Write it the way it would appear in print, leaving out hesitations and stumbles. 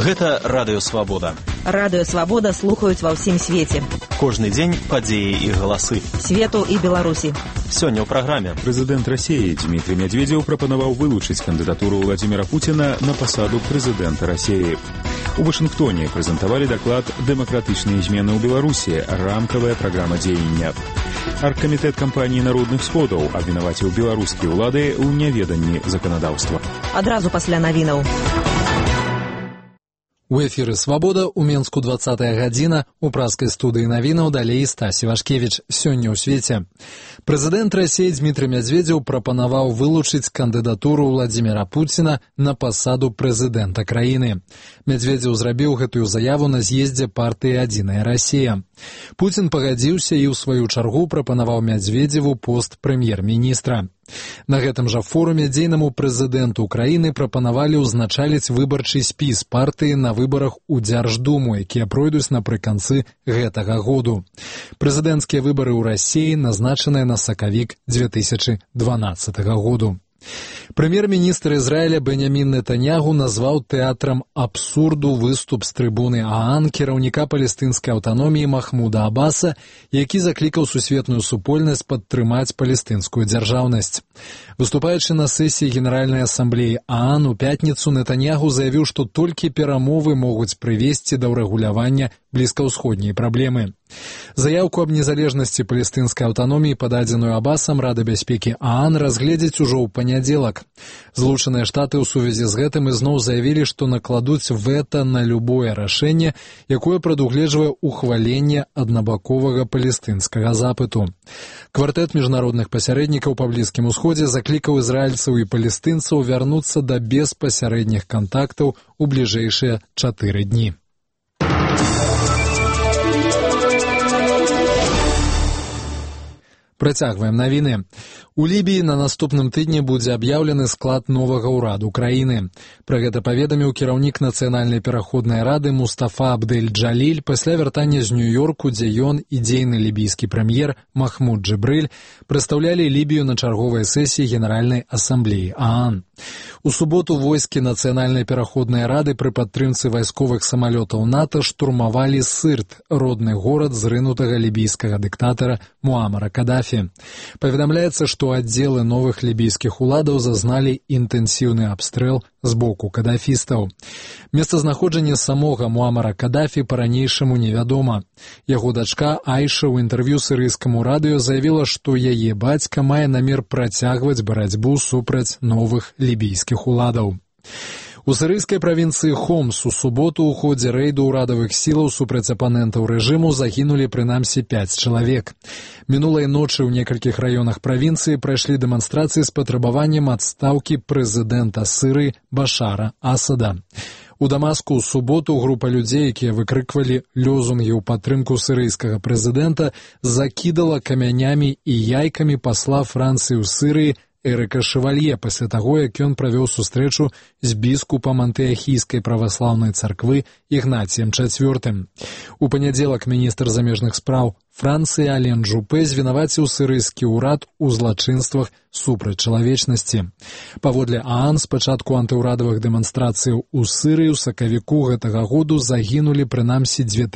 Гэта Радыё Свабода. Радыё Свабода слухаюць ва ўсім свеце. Кожны дзень падзеі і галасы. Свету і Беларусі. Сёння ў праграме. Прэзідэнт Расіі Дмітрий Медведев прапанаваў вылучыць кандыдатуру Владимира Путина на пасаду прэзідэнта Расіі. У Вашынгтоне прэзентавалі даклад «Дэмакратычныя змены ў Беларусі. Рамкавая праграма дзеяння». Аргкамітэт кампаніі народных сходаў абвінаваціў беларускія ўлады ў няведанні заканадаўства. Адразу пасля навінаў. У эфіры «Свабода» у Менску 20-я гадзіна, у праскай студыі навінаў далей Стасі Вашкевіч. Сёння ў свеце. Прэзідэнт Расіі Дмітрий Медведев прапанаваў вылучыць кандыдатуру Владимира Путина на пасаду прэзідэнта краіны. Медведев зрабіў гэтую заяву на з'ездзе партыі «Адзіная Расія». Путин пагадзіўся і ў сваю чаргу прапанаваў Медведеву пост прэм'ер-міністра. На гэтым жа форуме дзейнаму прэзідэнту краіны прапанавалі ўзначаліць выбарчы спіс партыі на выбарах у Дзярждуму, якія пройдуць напрыканцы гэтага году. Прэзідэнцкія выбары ў Расіі назначаныя на сакавік 2012 году. Прэм'ер-міністр Ізраіля Беньямін Нетаньягу назваў тэатрам абсурду выступ з трыбуны ААН кіраўніка палестынскай аўтаноміі Махмуда Аббаса, які заклікаў сусветную супольнасць падтрымаць палестынскую дзяржаўнасць. Выступаючы на сесіі Генеральнай асамблеі ААН у пятніцу, Нетаньягу заявіў, што толькі перамовы могуць прывесці да ўрэгулявання блізкаўсходняй праблемы. Заяўку аб незалежнасці палестынскай аўтаноміі, пададзеную Аббасам, Рада бяспекі ААН разгледзіць ужо ў панядзелак. Злучаныя Штаты ў сувязі з гэтым ізноў заявілі, што накладуць вэта на любое рашэнне, якое прадугледжвае ухваленне аднабаковага палестынскага запыту. Квартэт міжнародных пасярэднікаў па Блізкім Усходзе заклікаў ізраільцаў і палестынцаў вярнуцца да беспасярэдніх кантактаў у бліжэйшыя 4 дні. Працягваем навіны. У Лібіі на наступным тыдні будзе аб'яўлены склад новага ўраду краіны. Пра гэта паведаміў кіраўнік Нацыянальнай пераходнай рады Мустафа Абдэль-Джаліль пасля вяртання з Нью-Йорку, дзе ён і дзейны лібійскі прэм'ер Махмуд Джибриль прадстаўлялі Лібію на чарговай сесіі Генеральнай асамблеі ААН. У суботу войскі Нацыянальнай пераходнай рады пры падтрымцы вайсковых самалётаў НАТО штурмавалі Сырт, родны горад зрынутага лібійскага дыктатара Муамара Кадафі. Паведамляецца, што аддзелы новых лібійскіх уладаў зазналі інтэнсіўны абстрэл з боку кадафістаў. Месцазнаходжанне самога Муамара Кадафі па-ранейшаму невядома. Яго дачка Айша ў інтэрв'ю сірыйскаму радыё заявіла, што яе бацька мае намер працягваць барацьбу супраць новых лібійскіх уладаў. У сірыйскай правінцыі Хомс у суботу ў ходзе рэйду ўрадавых сілаў супраць апанентаў рэжыму загінулі прынамсі 5 чалавек. Мінулай ночы ў некалькіх раёнах правінцыі прайшлі дэманстрацыі з патрабаваннем адстаўкі прэзідэнта Сірыі Башара Асада. У Дамаску ў суботу група людзей, якія выкрыквалі лёзунгі ў падтрымку сірыйскага прэзідэнта, закідала камянямі і яйкамі пасла Францыі ў Сірыі Эрыка Шевалье пасля таго, як ён правёў сустрэчу з біскупам антыахійскай праваслаўнай царквы Ігнацыем IV. У панядзелак міністр замежных спраў Францыі Ален Жупэ звінаваціў сірыйскі ўрад у злачынствах супраць чалавечнасці. Паводле ААН, з пачатку антыўрадавых дэманстрацыяў у Сірыі ў сакавіку гэтага году загінулі прынамсі 2000